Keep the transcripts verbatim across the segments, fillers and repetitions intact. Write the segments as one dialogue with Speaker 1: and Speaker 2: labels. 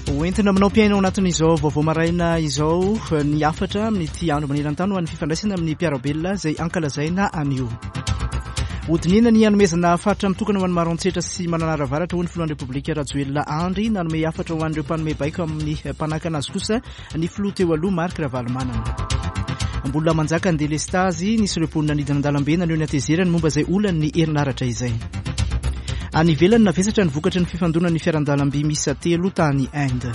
Speaker 1: Hoentina aminao mpiaina ao anatin'izao vaovao maraina izao ny hafatra amin'ity andro maneran-tany ho an'ny fifandraisana amin'ny mpiara-belona izay ankalazaina anio. Hodinihina ny hanomezana faritra mitokana ho an'ny Maroantsetra sy Mananara Avaratra hoy ny filohan'ny Repoblika Rajoelina Andry. Nanome hafatra ho an'ireo mpanome baiko amin'ny mpanakana azy kosa ny filoha teo aloha Marc Ravalomanana. Mbola manjaka ny delestazy, nisy ireo mponina nidina an-dalambe naneho ny hatezerany momba izay olan'ny herinaratra izay. Any ivelany navesatra ny vokatry ny fifandonan'ny fiaran-dalamby miisa telo tany Inde.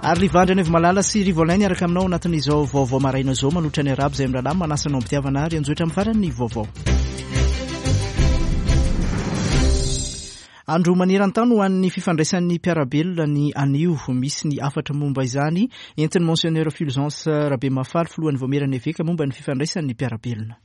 Speaker 1: Ary Livandry Anaivomalala sy Rivo Alain niaraka aminao anatin'izao vaovao maraina izao manolotra ny arabo izay mirahalahy manasa anao am-pitiavana ary anjotra amin'ny farany ny vaovao. Andro maneran-tany ho an'ny fifandraisan'ny mpiara-belona ny anio. Misy ny hafatra momba izany entin'ny Monseigneur Fulgence Rabemahafaly, filohan'ny Vaomieran'ny Eveka momba ny fifandraisan'ny mpiara-belona.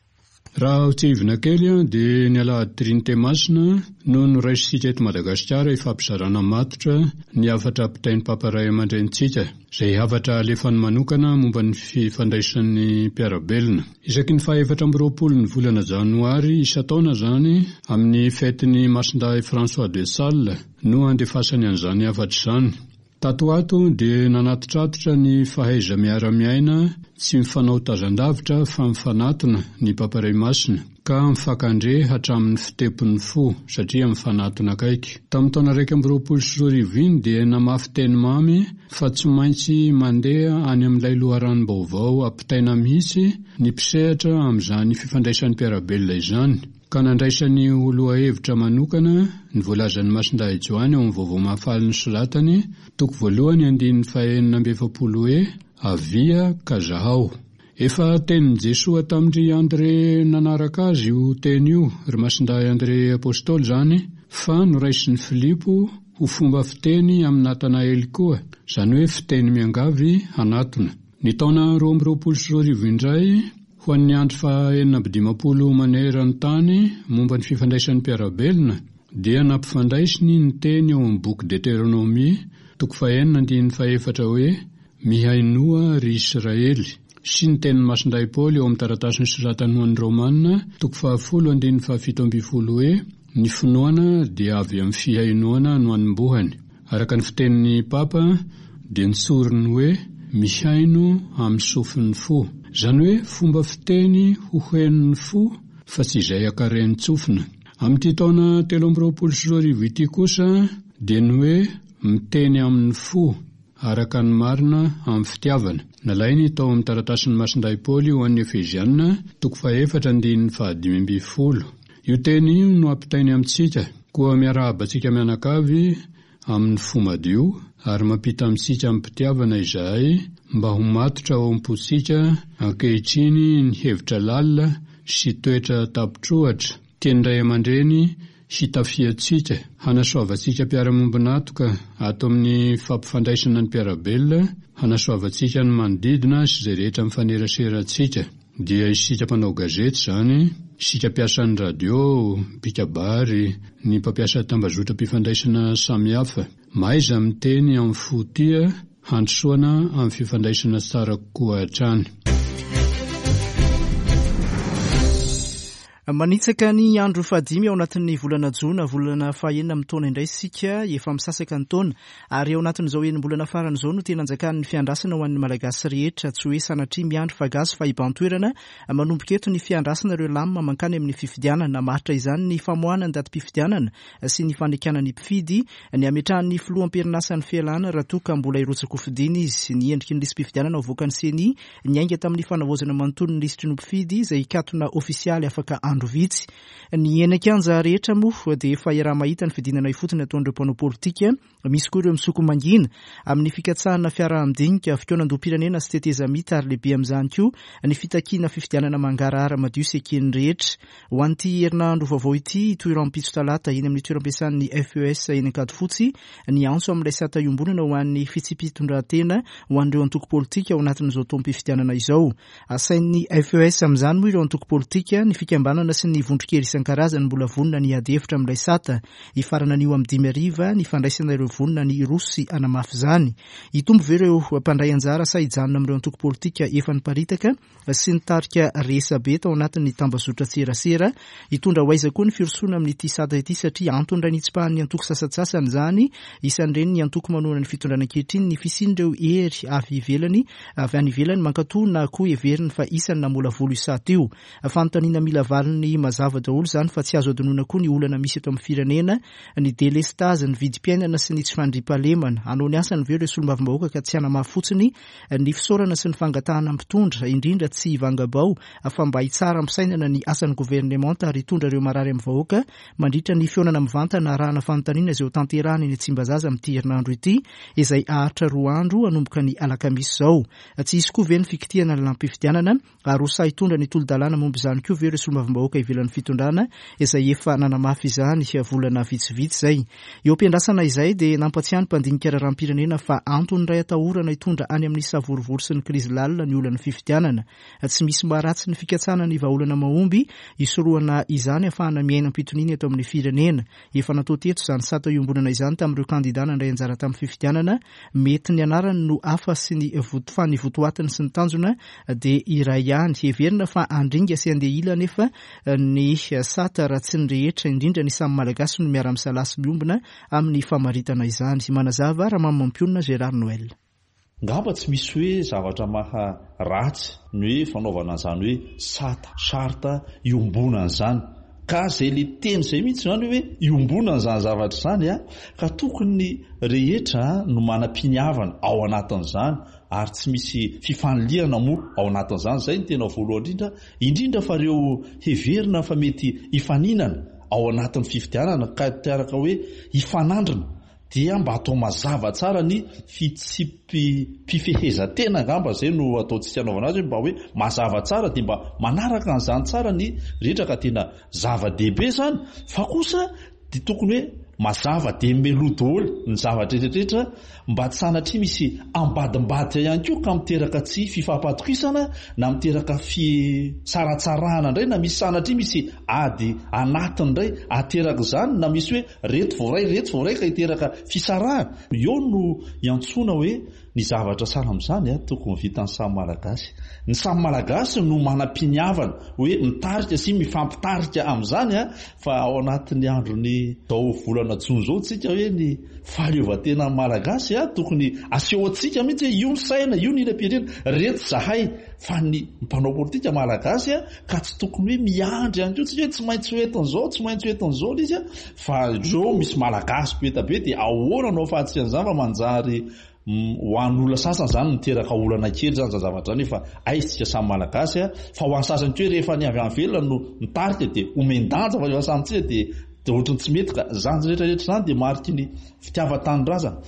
Speaker 2: Raha ho tsiahivina kely dia ny alahady Trinite Masina no noraisintsika eto Madagasikara hifampizarana matotra ny hafatra ampitain'ny Papa Ray aman-drenintsika, izay hafatra alefany manokana momba ny fifandraisan'ny mpiara-belona. Isaky ny fahaefatra amby roapolo ny volana janoary isan-taona izany amin'ny fetin'ny Masindahy François de Sales no andefasany an'izany hafatra izany. Tato ho ato dia nanatitratitra ny fahaiza-miara-miaina tsy mifanao tazan-davitra fa mifanatona ny Papa Ray Masina, ka mifankandre hatramin'ny fitepon'ny fo satria mifanatona akaiky. Tamin'ny taona iraika amby roapolo sy roa arivo iny dia namafy teny mamy fa tsy maintsy mandeha any amin'ilay loharanom-baovao ampitaina mihitsy ny mpisehatra amin'izany fifandraisan'ny mpiara-belona izany, ka nandraisany ho lohahevitra manokana ny voalazan'ny Masindahy Joany ao amin'ny vaovao mahafaly nosoratany, toko voalohany andininy fahenina amby efapolo hoe Avia ka zahao. Efa tenin'i Jesoa tamin-dry André nanaraka azy io teny io, ry Masindahy André Apôstôly izany, fa noraisin'i Filipo ho fomba fiteny amin'i Natanaely koa, izany hoe fiteny miangavy hanatona. Ny taona roa amby roapolo sy roa arivo indray, ho an'ny andro fahaenina amby dimampolo maneran-tany momba ny fifandraisan'ny mpiara-belona, dia nampifandraisiny ny teny ao amin'ny boky Deutéronomie, toko fahenina andininy fahefatra hoe Mihainoa ry Israely, sy ny tenin'ny Masindahy Paoly ao amin'ny taratasy nosoratany ho an'ny Romana, toko fahafolo andininy fahafito ambin'ny folo hoe Ny finoana dia avy amin'ny fihainoana no anombohany. Araka ny fitenin'ny Papa dia nitsoriny hoe mihaino amin'ny sofin'ny fo. Izany hoe fomba fiteny ho henon'ny fo fa tsy izay akaren'ny-tsofina. Amin'ity taona telo amby roapolo sy roa arivo ity kosa dia ny hoe miteny amin'ny fo araka ny marina amin'ny fitiavana. Nalainy tao amin'ny taratasin'ny Masindahy Paoly ho an'ny Efeziana, toko fahefatra andininy fahadimy ambin'ny folo. Io teny io no ampitainy amintsika, koa miarahaba antsika mianakavy amin'ny fo madio ary mampita amintsika amim-pitiavana izahay mba ho matotra ao am-pontsika ankehitriny ny hevitra lalina sy toetra tapitrohatra tian'ny ray aman-dreny hitafiantsika, hanasoavantsika mpiara-miombon'antoka ato amin'ny fampifandraisana ny mpiara-belona, hanasoavantsika ny manodidina sy izay rehetra mifanerasera antsika. Dia isika mpanao gazety izany, isika mpiasan'ny radio, mpikabary, ny mpampiasa tambazotram-pifandraisana samihafa. Mahaiza miteny amin'ny fo tia, handrosoana amin'ny fifandraisana tsara kokoa hatrany.
Speaker 1: Manitsaka ny andro fahadimy ao anatin'ny volana jona, volana fahenina amin'ny taona indray isika, efa misasaka ny taona, ary ao anatin'izao enim-bolana farany izao no tena anjakan'ny fiandrasana ho an'ny Malagasy rehetra, tsy hoe sanatria miandry fa gasy fa hiban-toerana. Manomboka eto ny fiandrasana ireo lamina mankany amin'ny fifidianana. Maharitra izany ny famoahana ny datim-pifidianana sy ny fanekana ny mpifidy, ny hametrahan'ny filoham-perinasa ny fialana raha toa ka mbola hirotsaka-hofidina izy, ny endriky ny lisi-pifidianana avoakan'ny CENI niainga tamin'ny fanavaozana manontolo ny lisitry ny mpifidy izay hikatona ofisialy afaka andro vitsy. Ny eny an-kianja rehetra moa dia efa iaraha-mahita ny fidinana ifotony ataon'ireo mpanao politika. Misy koa ireo misoko mangina amin'ny fikatsahana fiaraha-midinika, fikaonandoham-pirenena sy tetezamita, ary lehibe amin'izany koa ny fitakiana fifidianana mangarahara madio sy eken'ny rehetra. Ho an'ity herinandro vaovao ity, hitohy rahampitso talata eny amin'ny toeram-piasan'ny F E S eny Ankadifotsy ny antso amin'ilay sata iombonana ho an'ny fitsipi-pitondran-tena ho an'ireo antoko politika ao anatin'izao taom-pifidianana izao. Asain'ny F E S amin'izany moa ireo antoko politika, ny fikambanana mpanohana sy ny vondron-kery isan-karazany mbola vonona ny hiady hevitra amin'ilay sata. Hifarana anio amin'ny dimy hariva ny fandraisana ireo vonona ny hiroso sy hanamafy izany. Hitombo ve ireo mpandray anjara sa hijanona amin'ireo antoko politika efa niparitaka sy nitarika resabe tao anatin'ny tambazotran-tserasera? Hitondra ho aiza koa ny firosoana amin'ity sata ity satria antony iray nitsipahan'ny antoko sasantsasany izany, isan'ireny ny antoko manohana ny fitondrana ankehitriny, ny fisian'ireo hery avy ivelany avy any ivelany mankatoa na koa heveriny fa isan'ny namolavola io sata io. Fanontaniana mila valiny mazava daholo izany fa tsy azo adinoina koa ny olana misy eto amin'ny firenena, ny delestazy, ny vidim-piainana sy ny tsy fandriampahalemana. Hanao ny asany ve ireo solombavambahoaka ka tsy hanamafy fotsiny ny fisaorana sy ny fangatahana mpitondra, indrindra tsy hivangabao fa mba hitsara am-pisainana ny asan'ny governemanta ary hitondra ireo marary amin'ny vahoaka mandritra ny fihaonana mivantana arahana fanontaniana izay ho tanterahana eny Tsimbazaza amin'ity herinandro ity, izay haharitra roa andro hanomboka ny alakamisy izao. Tsy hisy koa ve ny fikitihana ny lalàm-pifidianana ary ho sahy hitondra ny tolo-dalàna momba izany koa ve ireo solombavambahoaka ivelan'ny fitondrana izay efa nanamafy izany volana vitsivitsy izay? Eo am-piandrasana izay dia nampatsiahy ny mpandinika raharaham-pirenena fa antony iray atahorana hitondra any amin'ny savorovoro sy ny krizy lalina ny olan'ny fifidianana. Tsy misy maharatsy ny fikatsahana ny vahaolana mahomby hisorohana izany ahafahana miaina am-pitoniana eto amin'ny firenena. Efa natao teto izany sata iombonana izany tamin'ireo kandida nandray anjara tamin'ny fifidianana. Mety ny anarany no hafa sy ny voto, fa ny votoatiny sy ny tanjona dia iray ihany. Heverina fa handringa sy handeha ila nefa ny sata raha tsy ny rehetra, indrindra ny samy Malagasy no miara-misalahy sy miombona amin'ny famaritana izany. Manazava Ramamy Mampionona Gérard Noël.
Speaker 3: Ngamba tsy misy hoe zavatra maha ratsy ny hoe fanaovana an'izany hoe sata, charte iombonana izany. Ka zay le teny zay mihitsy zany hoe iombonana izany zavatra izany a, ka tokony ny rehetra no manam-piniavana ao anatin'izany ary tsy misy fifanilihana moa ao anatin'izany. Zay ny tena voalohany indrindra, indrindra fa ireo heverina fa mety hifaninana ao anatin'ny fifidianana ka teraka hoe hifanandrina dia mba atao mazava tsara ny fitsipim-pifehezan-tena angamba zay no ataontsika anaovana azy, hoe mba hoe mazava tsara dia mba manaraka an'izany tsara ny rehetra ka tena zava-dehibe zany. Fa kosa dia tokony hoe mazava dia meloa daholo ny zavatra rehetrarehetra mba tsy sanatria misy ambadimbadika ihany koa ka miteraka tsy fifampatokisana na miteraka fisaratsarahana indray, na misy sanatria misy ady anatiny indray ateraka izany, na misy hoe reto voaray reto voaray ka hiteraka fisarahana. Eo no iantsoana hoe ny zavatra sahala amin'izany a tokony vitan'ny samy Malagasy. Ny samy Malagasy no manam-piniavana hoe mitarika sy mifampitarika amin'izany a, fa ao anatin'ny andron'ny zao volana jona zao tsika hoe ny fahaleovantena Malagasy a tokony asehoantsika mihitsy hoe io ny saina, io ny ila-pirenena, reto zahay fa ny mpanao politika Malagasy a, ka tsy tokony hoe miandry ihany koa tsika hoe tsy maintsy ho entin'izao, tsy maintsy ho entin'izao ilay izy a, fa ireo misy Malagasy be be dia ahoana no ahafahantsika an'izany fa manjary ho an'olona sasany zany miteraka olana kely zany zany zavatra zany, fa aiza tsika samy Malagasy a, fa ho an'ny sasany koa rehefa ny avy any ivelany no mitarika dia omen-danja, fa rehefa samy tsika dia dia ohatran'ny tsy mety ka zany rehetrarehetra zany dia mariky ny fitiavan-tanindrazana.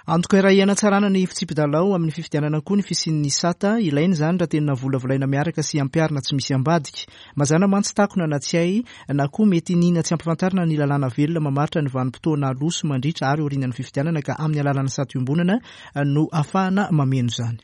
Speaker 1: Antoka iray hanatsarana ny fitsipi-dalao amin'ny fifidianana koa ny fisian'ny sata. Ilaina izany raha tena volavolaina miaraka sy ampiharina tsy misy ambadika. Mazàna mantsy takona na tsy hay na koa mety nina tsy ampifantarina ny lalàna velona mamaritra ny vanim-potoana aloha sy mandritra ary aorian'ny fifidianana, ka amin'ny alalan'ny sata iombonana no ahafahana mameno izany.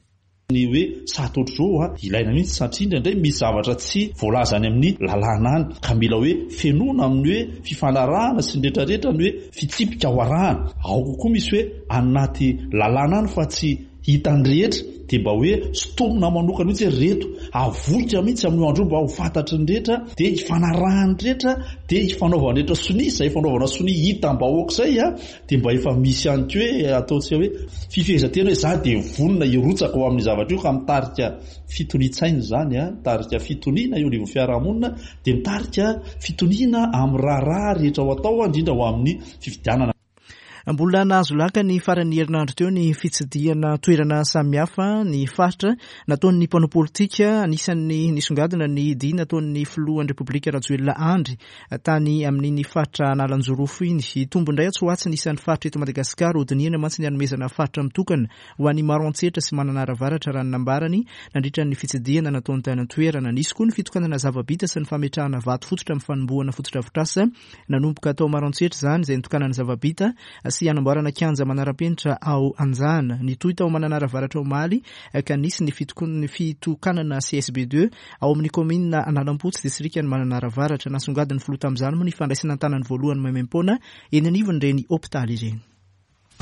Speaker 3: Ny hoe sata ohatr'izao a ilaina mihitsy satria indraindray misy zavatra tsy voalaza any amin'ny lalàna any ka mila hoe fenoina amin'ny hoe fifanarahana sy ny rehetrarehetra ny hoe fitsipika ho arahana. Ao kokoa misy hoe anaty lalàna any fa tsy hitan'ny rehetra dia mba hoe sintomina manokana mihitsy hoe reto avoitra mihitsy amin'io andro io mba ho fantatry ny rehetra, dia hifanarahan'ny rehetra, dia hifanaovan'ny rehetra sonia, izay fanaovana sonia hitam-bahoaka izay a dia mba efa misy ihany koa hoe ataontsika hoe fifehezan-tena hoe za dia vonona hirotsaka ho amin'ny zavatra io, ka mitarika fitonian-tsaina izany a, mitarika fitoniana eo anivon'ny fiarahamonina, dia mitarika fitoniana amin'ny raharaha rehetra ho atao, indrindra ho amin'ny fifidianana.
Speaker 1: Mbola nahazo laka ny faran'ny herinandro teo ny fitsidihana toerana samihafa ny faritra nataon'ny mpanao politika. Anisan'ny nisongadina ny dia nataon'ny filohan'ny Repoblika Rajoelina Andry tany amin'iny faritra Analanjirofo iny. Hitombo indray atsy ho atsy ny isan'ny faritra eto Madagasikara. Hodinihana mantsy ny hanomezana faritra mitokana ho an'ny Maroantsetra sy Mananara Avaratra, raha ny nambarany nandritra ny fitsidihana nataony tany an-toerana. Nisy koa ny fitokanana zava-bita sy ny fametrahana vato fototra amin'ny fanombohana fotodrafitrasa nanomboka tao Maroantsetra izany, izay nitokanana zava-bita sy hanamboarana kianja manara-penitra ao Anjana. Nitohy tao Mananara Avaratra omaly ka nisy ny fitokanana C S B deux ao amin'ny kaominina Analampotsy, distrikan'i Mananara Avaratra. Nasongadin'ny filoha tamin'izany moa ny fandraisana an-tanany voalohany maimaimpoana eny anivon'ireny hopitaly ireny.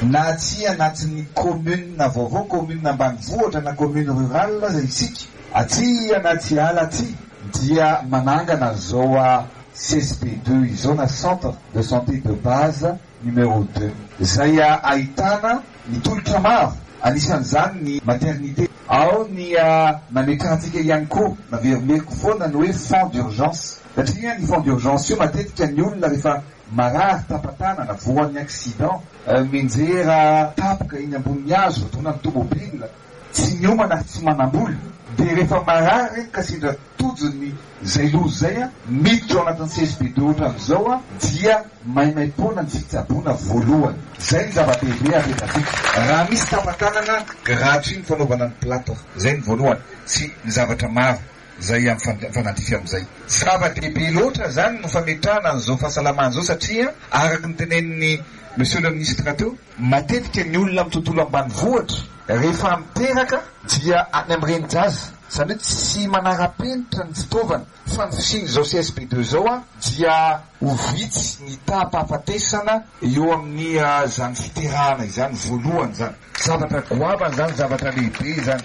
Speaker 4: Na tsy anatin'ny commune vaovao, commune ambanivohitra na commune rurale aza isika, aty anaty ala aty dia manangana zao C S B deux izao na centre de santé de base numéro deux izay ahitana ny tolotra maro, anisan'izany ny maternité, ao ny nametrahantsika ihany koa naverimeriko foana ny hoe fonds d'urgence, satria ny fonds d'urgence io matetika ny olona rehefa marary tapa-tanana, voan'ny accident, menjera tapoka eny ambonin'ny hazo, voadona ny tomobile, tsy miomana ary tsy manam-bola, dia rehefa marary ka sendra tojony izay loza izay, miditra ao anatin'ny C S B deux ohatran'izao a, dia maimaimpoana ny fitsaboana voalohany. Izay ny zava-dehibe apetratsika. Raha misy tapa-tanana, gratuit ny fanaovana ny plâtre. Izay ny voalohany sy ny zavatra maro izay mifanandrify amin'izay. Zava-dehibe loatra zany no fametrahana an'izao fahasalamana izao, satria araka ny tenenin'ny monsieur le ministre teo, matetika ny olona amin'ny tontolo ambanivohitra rehefa miteraka dia any amin'ny renin-jaza, izany hoe tsy manara-penitra ny fitaovana, fa ny fisian'izao C S B deux izao a dia ho vitsy ny taham-pahafatesana eo amin'ny zany fiterahana izany voalohany zany. Zavatra goavana zany, zavatra lehibe izany.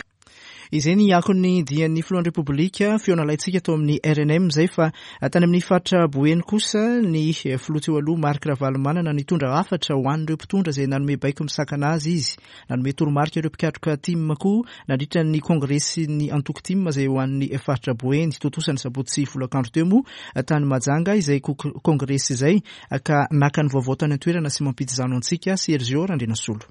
Speaker 1: Izay ny akon'ny dian'ny filohan'ny Repoblika feo nalaintsika tao amin'ny R N M izay, fa tany amin'ny faritra Boeny kosa ny filoha teo aloha Marc Ravalomanana nitondra hafatra ho an'ireo mpitondra izay nanome baiko misakana azy izy. Nanome toromarika ireo mpikatroka T I M koa nandritra ny kongresin'ny antoko T I M izay ho an'ny faritra Boeny. Tontosa ny sabotsy folakandro teo moa tany Mahajanga izay kongresy izay ka naka ny vaovao tany an-toerana sy mampidi-zano antsika Sergio Randrianasolo.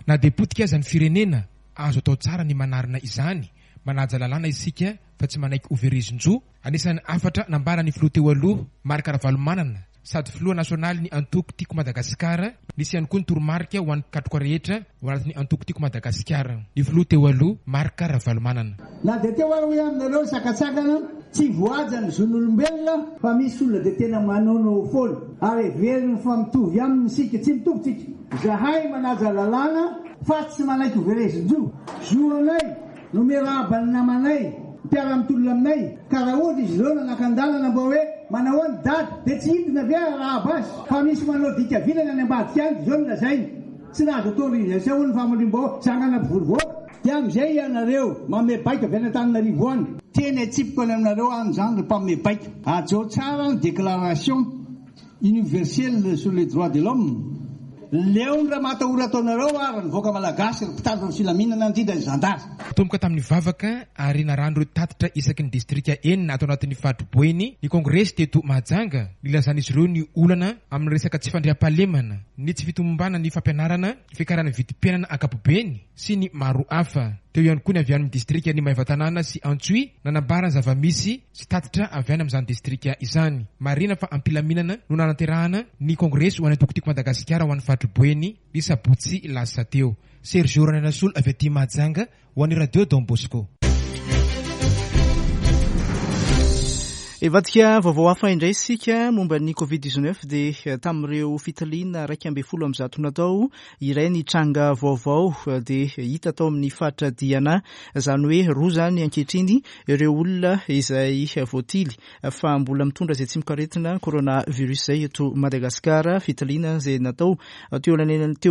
Speaker 5: Na dia potika aza ny firenena, azo atao tsara ny manarina izany, manaja lalàna isika fa tsy manaiky ho verezin-jo. Anisan'ny hafatra nambaran'ny filoha teo aloha Marc Ravalomanana sady filoha nasionaly ny antoko Tiako Madagasikara, nisy ihany koa ny toromarika ho an'ny mpikatroka rehetra ho anatin'ny antoko Tiako Madagasikara. Ny filoha teo aloha Marc Ravalomanana.
Speaker 6: Na dia teo ary hoe aminareo ny sakatsakana tsy voaja ny zon'olombelona, fa misy olona dia tena manaonao foana ary heveriny fa mitovy aminy isika. Tsy mitovy tsika. Zahay manaja lalàna fa tsy manaiky ho verezin-jo. Zo anay no miarahaba ny namanay mpiara-mitolona aminay, ka raha ohatra izy ireo nanakan-dalana mba hoe manao ahoana dada dia tsy hidina ve arahaba azy, fa misy manao dika vilana any ambadika any, izao no lazainy. Tsy nahazo autorisation hoy ny famorim-baovao, zangana mpivory vahoaka. Dia amin'izay ianareo manome baiko avy any Antananarivo any. Teny atsipiko any aminareo any izany ry mpanome baiko. Hajao tsara ny déclaration universelle sur les droits de l'homme. Leo ny raha mahatahora ataonareo ary ny vahoaka malagasy ry mpitandro ny filaminana indrindra ny zandary.
Speaker 5: Tomboka tamin'ny vavaka ary narano ireo tatitra isaky ny distrika enina ato anatin'ny faritra Boeny ny kongresy teto Mahajanga. Nilazan'izy ireo ny olana amin'ny resaka tsy fandriampahalemana, ny tsy fitombana ny fampianarana, ny fiakaran'ny vidim-piainana ankapobeny sy ny maro hafa. Teo ihany koa ny avy any amin'ny distrika ny Maevatanàna sy Antsohihy nanambara ny zava-misy sy tatitra avy any amin'izany distrika izany. Marihina fa am-pilaminana no nanaterahana ny kongresy ho an'ny antoko Tiako Madagasikara ho an'ny faritra Boeny ny sabotsy lasa teo. Sergio Randrianasolo avy aty Mahajanga ho an'ny Radio Don Bosco.
Speaker 1: Hivadika vaovao hafa indray isika momba ny covid dix-neuf dia tamin'ireo fitiliana iraika ambin'ny folo amby zato natao, iray ny tranga vaovao dia hita tao amin'ny faritra Diana, izany hoe roa izany ankehitriny ireo olona izay voatily fa mbola mitondra izay tsimokaretina coronavirus izay eto Madagasikara. Fitiliana izay natao teo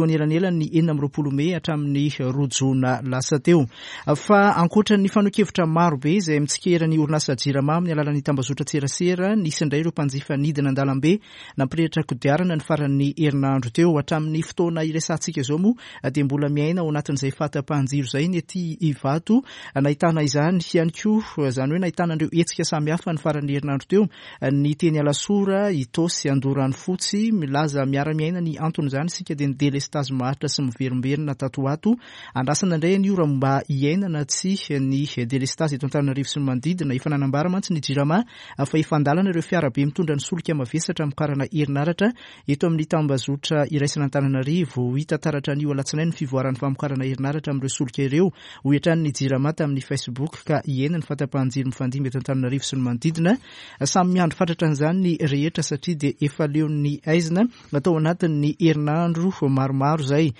Speaker 1: anelanelan'ny enina amby roapolo mey hatramin'ny roa jona lasa teo. Fa ankoatra ny fanehoan-kevitra maro be izay mitsikera ny orinasa Jirama amin'ny alalan'ny tambazotra tserasera, nisy indray ireo mpanjifa nidina an-dalambe nampirehitra kodiarana ny faran'ny herinandro teo. Hatramin'ny fotoana iresahantsika izao moa dia mbola miaina ao anatin'izay fahatapahan-jiro izay ny aty Ivato. Nahitana izany ihany koa, izany hoe nahitana ireo hetsika samihafa ny faran'ny herinandro teo, ny teny Alasora, Itaosy, Andoranofotsy. Milaza miara-miaina ny anton'izany isika dia ny delestazy maharitra sy miverimberina tato ho ato. Andrasana indray an'io raha mba hiainana tsy ny delestazy eto Antananarivo sy ny manodidina. Efa nanambara mantsy ny Jirama fa efa an-dalana ireo fiarabe mitondra ny solika mavesatra hamokarana herinaratra eto amin'ny tambazotra iraisana Antananarivo. Ho hita taratra anio alatsinainy ny fivoaran'ny famokarana herinaratra amin'ireo solika ireo, hoy hatrany ny Jirama tamin'ny Facebook, ka hihena ny fahatapahan-jiro mifandimby eto Antananarivo sy ny manodidina. Samy miandry fatratra an'izany ny rehetra satria dia efa leon'ny aizina natao anatin'ny herinandro maromaro izay.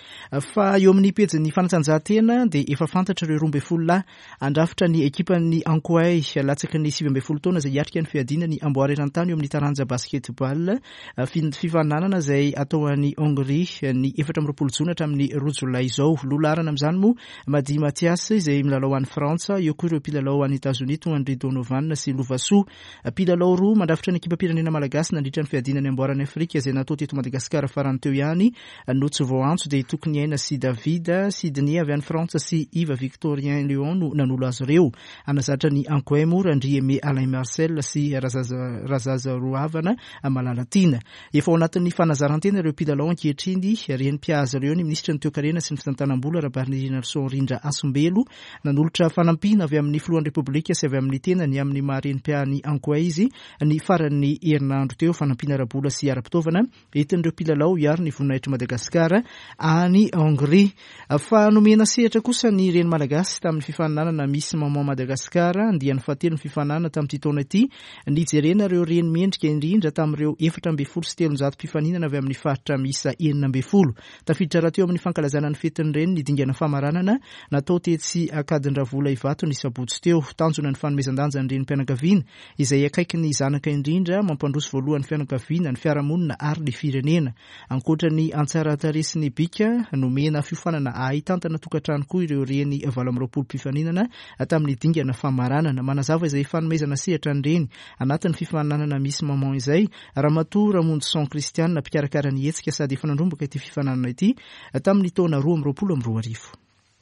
Speaker 1: Fa eo amin'ny pejin'ny fanatanjahantena dia efa fantatra ireo roa ambin'ny folo lahy handrafitra ny ekipan'ny Ankoay latsaky ny sivy ambin'ny folo taona izay hiatrika ny fiadiana ny amboara eran-tany eo amin'ny taranja basketball, fifaninanana izay atao any Hongrie ny efatra amby roapolo jona hatramin'ny roa jolay izao. Loha laharana amin'izany moa Madi Mathias izay milalao any Frantsa, eo koa ireo mpilalao any Etazonia toa an-dry Donovan sy Lovasoa. Mpilalao roa mandrafitra ny ekipam-pirenena malagasy nandritra ny fiadiana ny amboaran'i Afrika izay natao teto Madagasikara farany teo ihany no tsy voaantso dia Tokony Aina sy David Sidney avy any Frantsa sy Yves Victorien Leon no nanolo azy ireo. Hanazatra ny Ankoay moa Randria Aimé Alain Marcel sy Razazaroavana Malalatiana. Efa ao anatin'ny fanazaran-tena ireo mpilalao ankehitriny. Reny mpiahy ireo ny minisitry ny toekarena sy ny fitantanam-bola Rabarinirina Rindra Asombelo. Nanolotra fanampiana avy amin'ny filohan'ny Repoblika sy avy amin'ny tenany amin'ny maha reny mpiahy ny Ankoay izy ny faran'ny herinandro teo. Fanampiana ara-bola sy ara-pitaovana entin'ireo mpilalao hiaro ny voninahitr'i Madagasikara any Hongrie. Fa nomena sehatra kosa ny reny malagasy tamin'ny fifaninanana Miss Maman Madagasikara andiany fahatelo ny fifaninanana tamin'ity taona ity. Nijerena ireo reny mendrika indrindra tamin'ireo efatra ambin'ny folo sy telonjato mpifaninana avy amin'ny faritra miisa enina ambin'ny folo. Tafiditra rahateo amin'ny fankalazana ny fetin'ny reny ny dingana famaranana natao tetsy Ankadindravola Ivato ny sabotsy teo. Tanjona ny fanomezan-danja ny renim-pianakaviana izay akaiky ny zanaka indrindra, mampandroso voalohany fianakaviana, ny fiarahamonina ary ny firenena. Ankoatra ny antsaratare sy ny bika, nomena fiofanana ahitantana tokantrano koa ireo reny valo amby roapolo mpifaninana tamin'ny dingana famaranana. Manazava izay fanomezana sehatra ny reny anatin'ny fifaninanana Miss Maman izay Ramatoa Ramonjison Christiane, mpikarakara ny hetsika sady efa nandrombaka ity fifaninanana ity tamin'ny taona roa amby roapolo amby roa arivo.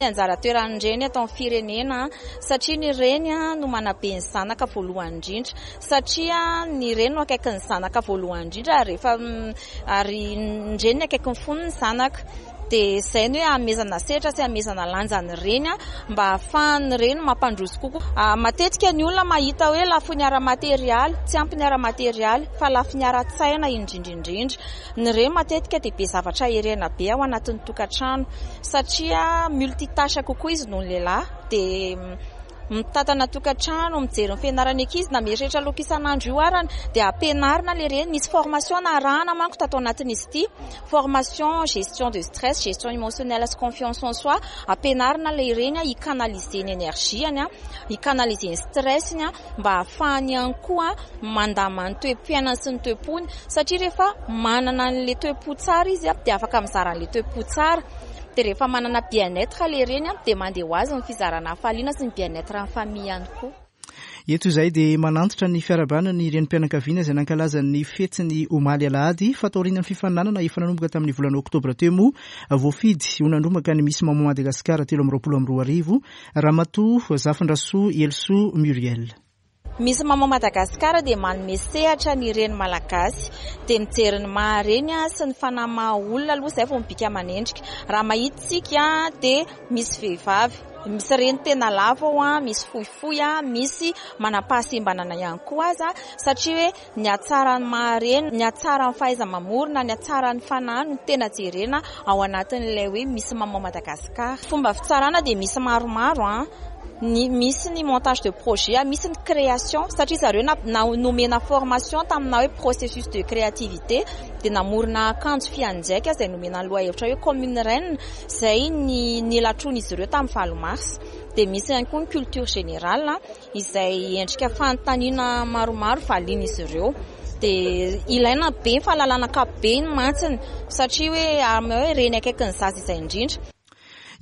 Speaker 7: Ny anjara toeran'ny reny atao amin'ny firenena, satria ny reny no manabe ny zanaka voalohany indrindra, satria ny reny no akaiky ny zanaka voalohany indrindra, rehefa ary ny reny no akaiky ny fony ny zanaka. Dia izay ny hoe hanomezana sehatra sy hanomezana lanja ny reny mba hahafahan'ny reny mampandroso kokoa. Matetika ny olona mahita hoe lafiny ara-materialy, tsy ampy ny ara-materialy fa lafiny ara-tsaina indrindra indrindra. Ny reny matetika dia be zavatra herena be ao anatin'ny tokantrano satria multitâche kokoa izy noho ny lehilahy. Dia mitantana tokantrano, mijery ny fianarany ankizy na mieritreritra loaka isan'andro io arany dia ampianarina ilay reny. Misy formation narahana manko tato anatin'izy ity, formation gestion de stress, gestion émotionnelle sy confiance en soi. Ampianarina ilay reny hi-canaliser ny énergie-ny, hi-canaliser ny stress-ny mba hahafahany ihany koa mandamina ny toe-piainany sy ny toe-pony, satria rehefa manana an'ilay toe-po tsara izy dia afaka mizara an'ilay toe-po tsara. Dia rehefa manana bien-être ilay reny dia mandeha ho azy ny fizarana hafaliana sy ny bien-être amin'ny famille ihany koa.
Speaker 1: Eto izay dia manantitra ny fiarahabana ny renim-pianakaviana izay nankalaza ny fetiny omaly alahady. Fa taorian'ny fifaninanana efa nanomboka tamin'ny volana oktobra teo moa, voafidy ho nandrombaka ny Miss Maman Madagasikara telo amby roapolo amby roa arivo Ramatoa Zafindrasoa Elisoa Muriel.
Speaker 7: Miss Maman Madagasikara dia manome sehatra ny reny malagasy, dia mijery ny maha reny sy ny fanahy maha olona aloha izay vao mibika manendrika. Raha mahita isika dia misy vehivavy, misy reny tena lava ao, misy fohifohy, misy manam-pahasembanana ihany koa aza, satria hoe ny hatsaran'ny maha reny, ny hatsaran'ny fahaiza-mamorona, ny hatsaran'ny fanahy no tena jerena ao anatin'ilay hoe Miss Maman Madagasikara. Fomba fitsarana dia misy maromaro, ny misy ny montage de projet, misy ny création, satria zareo na, na nomena formation tamina hoe processus de créativité, dia namorona akanjo fianjaika izay nomena ny lohahevitra hoe comme une reine, izay ny nilatroan'izy ireo tamin'ny valo mars. Dia misy ihany koa ny culture générale izay endrika fanontaniana maromaro valian'izy ireo. Dia ilaina be ny fahalalana ankapobeny mantsiny, satria hoe amin'ny hoe reny akaiky ny zaza izay indrindra.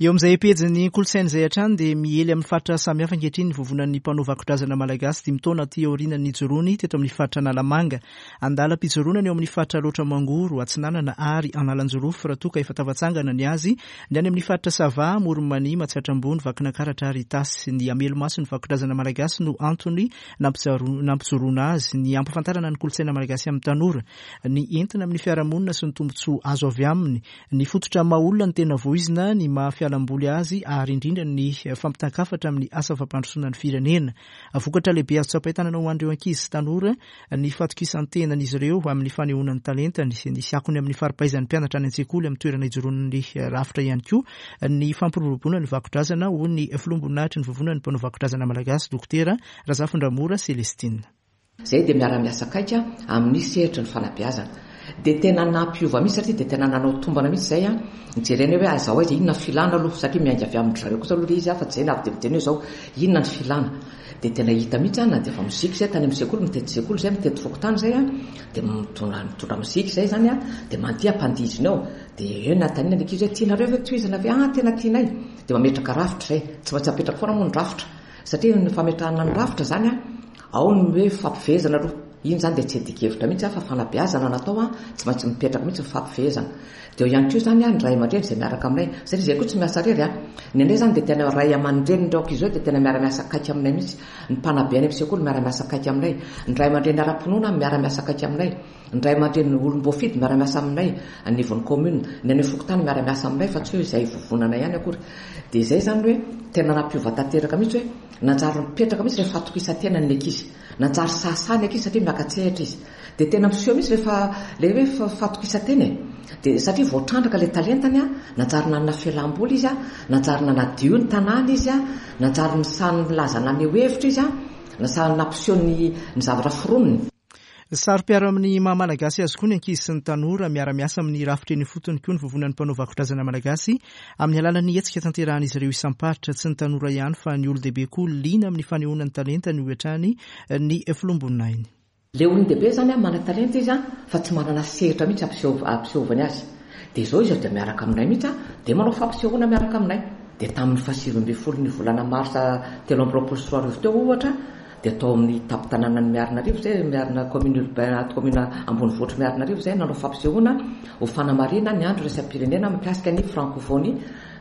Speaker 1: Eo amin'izay pejin'ny kolontsaina izay hatrany dia miely amin'ny faritra samihafa ankehitriny ny vovonan'ny mpanao vakodrazana malagasy dimy taona aty aorian'ny nijoroany teto amin'ny faritra Analamanga. Andalam-pijoroana ny eo amin'ny faritra Alaotra Mangoro, Atsinanana ary Analanjirofo raha toa ka efa tafatsangana ny azy ny any amin'ny faritra Sava, Amoron'i Mania, Matsiatra Ambony, Vakinankaratra ary Itasy. Ny hamelomaso ny vakodrazana malagasy no antony nampijoroana azy, ny hampahafantarana ny kolontsaina malagasy amin'ny tanora, ny entina amin'ny fiarahamonina sy ny tombontsoa azo avy aminy, ny fototra maha olona ny tena voizina, ny maha fialamboly azy ary indrindra ny fampitan-kafatra amin'ny asa fampandrosoana ny firenena. Vokatra lehibe azo tsapain-tanana ho an'ireo ankizy sy tanora ny fatokisan-tenan'izy ireo amin'ny fanehoana ny talentany. Nisy akony amin'ny fari-pahaizan'ny mpianatra any an-tsekoly amin'ny toerana ijoroan'ny rafitra ihany koa ny fampiroboroboana ny vakodrazana, hoy ny filoham-boninahitry ny Vovonan'ny mpanao vakodrazana malagasy, Dokotera Razafindramora Celestine.
Speaker 8: Izay dia miara-miasa akaiky amin'ny sehatry ny fanabeazana. Dia tena nampiova mihitsy satria dia tena nanao tombana mihitsy izay nijerena hoe aiza ho aiza, inona ny filana aloha, satria miainga avy amin-dry zareo kosa aloha ilay izy fa tsy izay no avy dia miteny hoe izao, inona ny filana. Dia tena hita mihitsy na dia efa mozika izay tany amin'ny sekoly, mitety sekoly izay, mitety fokontany izay, dia mitondra mitondra mozika izay izany, dia mandeha ampandihizina eo. Dia eo no anontaniana ny ankizy hoe tianareo ve tohizana ve? Ah, tena tianay. Dia mametraka rafitra izay. Tsy maintsy apetraka foana moa ny rafitra. Satria ny fametrahana ny rafitra izany, ao ny hoe fampifehezana aloha. Iny izany dia tsy adikevitra mihitsy fa fanabeazana natao, tsy maintsy mipetraka mihitsy ny fampifehezana. Dia eo ihany koa izany ny ray aman-dreny izay miaraka aminay. Satria izay koa tsy miasa irery. Ny anay izany dia tena ray aman-drenin'ireo ankizy ireo dia tena miara-miasa akaiky aminay mihitsy. Ny mpanabe any amin'ny sekoly miara-miasa akaiky aminay. Ny ray aman-dreny ara-pinoana miara-miasa akaiky aminay. Ny ray aman-dreny olom-boafidy miara-miasa aminay anivon'ny commune. Ny any amin'ny fokontany miara-miasa aminay fa tsy hoe izay vovonana ihany akory. Dia izay izany hoe tena nampiova tanteraka mihitsy hoe nanjary mipetraka mihitsy ilay fatokisan-tenan'ny ankizy. Nanjary sahasaha ny ankizy satria miaka-tsehatra izy. Dia tena miseho mihitsy rehefa ilay hoe fatokisan-tena e. Dia satria voatrandraka ilay talentany, nanjary nanana fialamboly izy, nanjary nanadio ny tanàna izy, nanjary nisahy nilaza naneho hevitra izy, nasahy nampiseho ny ny zavatra foroniny.
Speaker 1: Saro-piaro amin'ny maha malagasy azy koa ny ankizy sy ny tanora. Miara-miasa amin'ny rafitra eny ifotony koa ny Vovonan'ny mpanao vakodrazana malagasy amin'ny alalan'ny hetsika tanterahan'izy ireo isam-paritra. Tsy ny tanora ihany fa ny olon-dehibe koa liana amin'ny fanehoana ny talentany, hoy hatrany ny filoham-boninahiny.
Speaker 8: Ilay olon-dehibe izany manan-talenta izy fa tsy manana sehatra mihitsy hampisehovany azy. Dia izao izy dia miaraka aminay mihitsy, dia manao fampisehoana miaraka aminay. Dia tamin'ny fahasivy ambin'ny folo ny volana marsa telo amby roapolo sy roa arivo teo ohatra, dia tao amin'ny tampon-tanànan'i Miarinarivo izay, Miarina commune urbaine, commune ambonivohitr'i Miarinarivo izay, nanao fampisehoana ho fanamarihana ny andro iraisam-pirenena mikasika ny francophonie,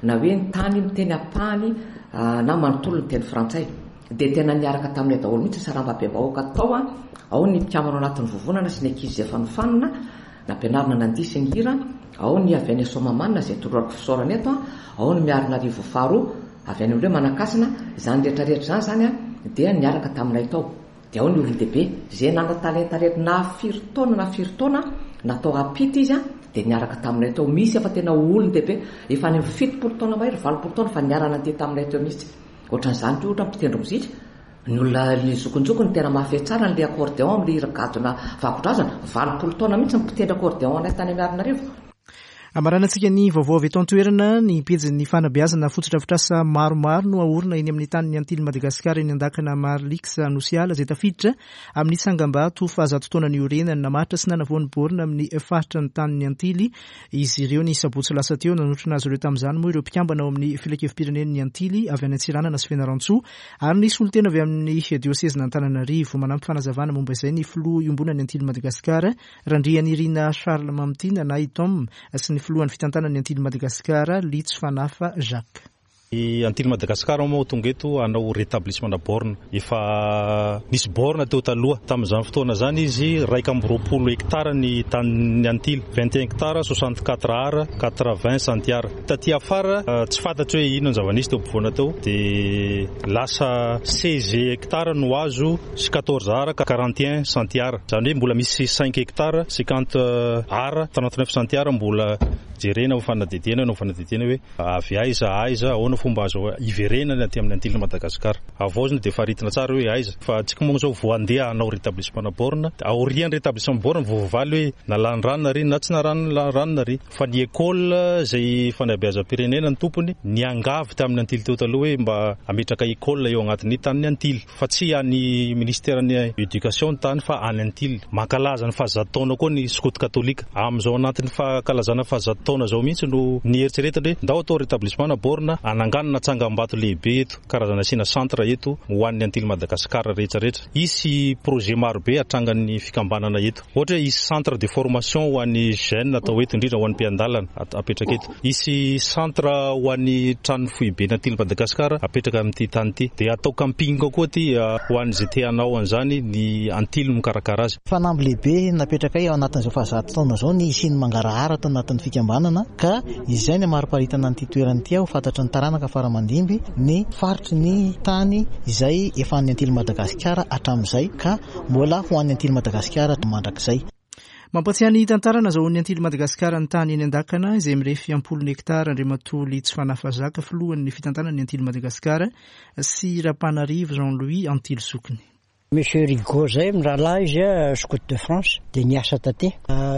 Speaker 8: na hoe ny tany miteny ampahany na manontolo ny teny frantsay. Dia tena niaraka taminay daholo mihitsy ny sarambabem-bahoaka tao, ao ny mpikambana ao anatin'ny vovonana sy ny ankizy izay efa nofanina, nampianarina nandihy sy nihira, ao ny avy any Soamahamanina izay tolorako fisaorana eto, ao ny Miarinarivo faharoa avy any amin'ireo Manankasina, izany rehetra rehetra izany izany dia niaraka taminay tao. Dia ao ny olon-dehibe izay nanan-talenta rehetra na firy taona na firy taona natao hampita izy dia niaraka taminay tao. Misy efa tena olon-dehibe efa any amin'ny fitopolo taona mahery, valopolo taona fa niara-nandeha taminay teo mihitsy. Ohatran'izany koa ohatra mpitendry mozika, ny olona ny zokinjokiny tena mahafehy tsara an'ilay accordéon amin'ilay hira gadona vakodrazana, valopolo taona mihitsy ny mpitendry accordéon anay tany Miarinarivo.
Speaker 1: Amaranantsika ny vaovao avy eto an-toerana. Ny pejin'ny fanabeazana fotodrafitrasa maromaro no aorina eny amin'ny tanin'ny Antily Madagasikara eny Andakana Marlix Anosiala izay tafiditra amin'ny tsangambato fahazato taona niorenany. Namaritra sy nanavao ny borna amin'ny faritra ny tanin'ny Antily izy ireo ny sabotsy lasa teo. Nanotrona azy ireo tamin'izany moa ireo mpikambana ao amin'ny filankevi-pirenen'ny Antily avy any Antsiranana sy Fianarantsoa ary ny solontena avy amin'ny diosezin'Antananarivo. Manampy fanazavana momba izay ny filoha iombonan'ny Antily Madagasikara Randrianirina Charles Mamitiana na i Tom sy ny filohan'ny fitantanan'ny Antily Madagasikara Litso Fanafa Jacques.
Speaker 9: Ny Antily Madagasikara moa tonga eto hanao rétablissement borne. Efa nisy borne teo taloha. Tamin'izany fotoana izany izy iraika amby roapolo hectare ny tanin'ny Antily, vingt et un hectare soixante-quatre ara quatre-vingts centiares. Taty afara tsy fantatro hoe inona ny zava-nisy teo ampovoana teo, dia lasa seize hectare no azo sy quatorze ara quarante et un centiares. Izany hoe mbola misy cinq hectare cinquante ara trente-neuf centiares mbola jerena ho fanadihadiana ho fanadihadiana hoe avy aiza aiza ahoana fomba azo iverenana aty amin'ny Antily Madagasikara. Avaozina dia faritina tsara hoe aiza fa tsika moa izao vao handeha hanao rétablissement borne. Aorian'ny rétablissement borne vao voavaly hoe nalany rano nary na tsy narano rano nary. Fa ny école izay fanabeazam-pirenena ny tompony niangavy tamin'ny Antily teo taloha hoe mba hametraka école eo agnatin'ny tanin'ny Antily fa tsy any ministère-n'ny éducation ny tany fa any Antily. Mankalaza ny fahazato taona koa ny skoto katolika. Amin'izao anatin'ny fankalazana fahazato taona izao mihitsy no nieritreretana hoe ndao atao rétablissement borne hananganana Anganana tsangambato lehibe eto, karazana asiana centre eto ho an'ny Antily Madagascar rehetra rehetra. Hisy projet marobe atrangan'ny fikambanana eto. Ohatra hoe hisy centre de formation ho an'ny jeune atao eto, indrindra ho an'ny mpiandalana apetraka eto. Hisy centre ho an'ny trano foibe ny Antily Madagascar apetraka amin'ity tany ity. Dia atao camping koa ty ho an'izay te hanao an'izany, ny Antily mikarakara azy.
Speaker 10: Fanamby lehibe napetrakay ao anatin'izao fahazato taona izao ny hisian'ny mangarahara tao anatin'ny fikambanana, ka izay ny mariparitana an'ity toerana ity ho fantatry ny taranaka faramandimby ny faritry ny tany izay efa an'ny Antily Madagasikara hatramin'izay ka mbola ho an'ny Antily Madagasikara mandrakizay.
Speaker 1: Mampatsiahy ny tantara nazahoan'ny Antily Madagasikara ny tany eny Andakana izay mirefy ampolony hektara Andriamatoa Litsy Fanafazaka, filohan'ny fitantanana ny Antily Madagasikara, sy Rapanarivo Jean-Louis Antily Sokiny.
Speaker 11: Monsieur Rigaud zay mirahalahy izy a, scout de France, dia niasa taty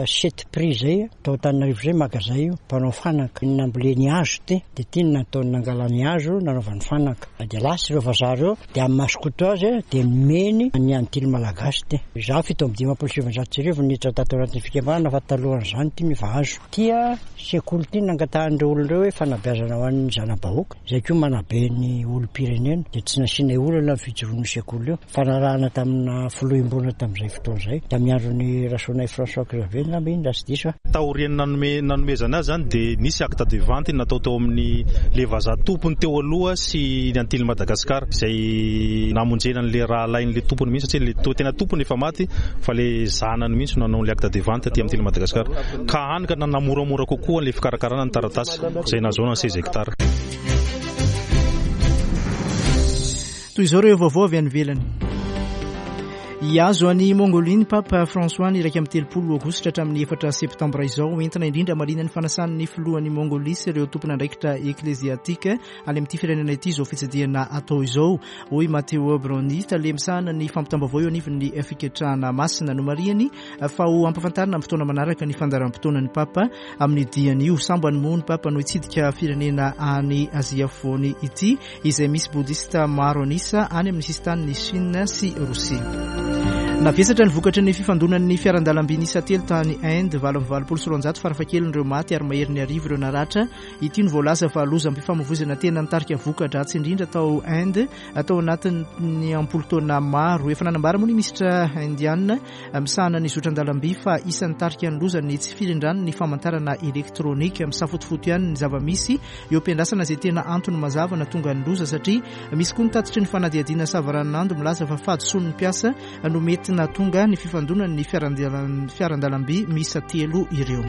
Speaker 11: sept prix zay tao Antananarivo zay, magazay io, mpanao fanaka, namboleny hazo ty, dia ty no nataony nangalany hazo nanaovany fanaka, dia lasa ireo vazaha ireo, dia amin'ny maha scout azy dia nomeny ny Antily Malagasy ty. Izaho fito amby dimampolo sy sivinjato sy arivo niditra tato anatin'ny fikambanana, fa talohan'izany ty no efa azo. Tia sekoly ty nangatahan'ireo olona ireo hoe fanabeazana ho an'ny zana-bahoaka, izay koa manabe ny olom-pirenena, dia tsy nasiana olana ny fijoroan'ny sekoly io. Fanarahana tamina filoham-bola tamin'izay fotoana izay, tamin'ny andron'ny Rasoanay François Xavier angamba iny raha tsy diso aho.
Speaker 9: Taorian'ny nanome nanomezana azy zany dia nisy acte de vente natao tao amin'ny le vazaha tompony teo aloha sy ny Antily Madagasikara, izay namonjena an'le rahalahin'le tompony mihitsy, satria le to- tena tompony efa maty fa le zanany mihitsy no nanao le acte de vente aty amin'ny Antily Madagasikara, ka hany ka nanamoramora kokoa le fikarakarana ny taratasy izay nahazoana ny seize hectares.
Speaker 1: Toy izao ireo vaovao avy any ivelany. Hiazo any Mongolia ny Papa François ny iraika amby telopolo aogositra hatramin'ny efatra septambra izao, entina indrindra marina ny fanasan'ny filohan'ny Mongolia sy ireo tompon'andraikitra ekleziatika any amin'ity firenena ity izao fitsidihana atao izao, hoy Matteo Bruni, tale misahana ny fampitam-baovao eo anivon'ny fiketrahana masina. Nomarihany fa ho ampafantarina amin'ny fotoana manaraka ny fandaharam-potoanan'ny Papa amin'ny diany io. Sambany moa ny Papa no hitsidika firenena any Azia afovoany ity, izay misy bodista maro an'isa any amin'ny sisin-tanin'i Chine sy Rosia. Navesatra ny vokatry ny fifandonan'ny fiaran-dalamby niisa telo tany Inde, valo amby valopolo sy roanjato farafahakelin'ireo maty ary maherin'ny arivo ireo naratra. Ity no voalaza fa lozam-pifamoivoizana tena nitarika voka-dratsy indrindra tao Inde atao anatin'ny ampolo taona maro. Efa nanambara moa ny minisitra indiana misahana ny zotran-dalamby fa isan'ny tarika ny loza ny tsy firindrany ny famantarana elektronika. Misafotofoto ihany ny zava-misy eo am-piandrasana izay tena antony mazava nahatonga ny loza, satria misy koa ny tatitry ny fanadihadiana savaranonando milaza fa fahadisoan'ny mpiasa no mety nahatonga ny fifandonan'ny fiaran-dalamby miisa telo ireo.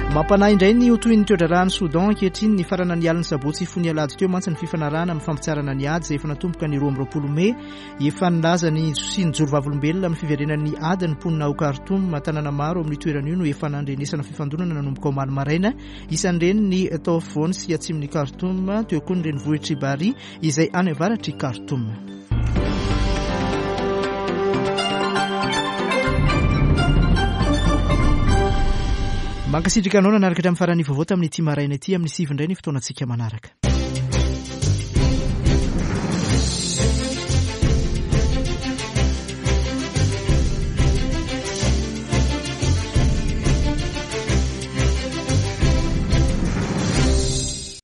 Speaker 1: Mampanahy indray ny ho toy ny toe-draharahan'i Soudan ankehitriny. Ny farana ny alin'ny sabotsy fony alahady teo mantsy ny fifanarahana amin'ny fampitsaharana ny ady izay efa natomboka ny roa amby roapolo mey. Efa nilaza ny sy nijoro vavolombelona amin'ny fiverenan'ny ady ny mponina ao Khartoum. Tanàna maro amin'ny toerana io no efa nandrenesana fifandonana nanomboka omaly maraina, isan'ireny ny tao afovoany sy atsimon'i Khartoum, teo koa ny renivohitr'i Bari izay any avaratr'i Khartoum. Mankasitraka anao nanaraka hatramin'ny farany vaovao tamin'ity maraina ity. Amin'ny sivy indray ny fotoanantsika manaraka.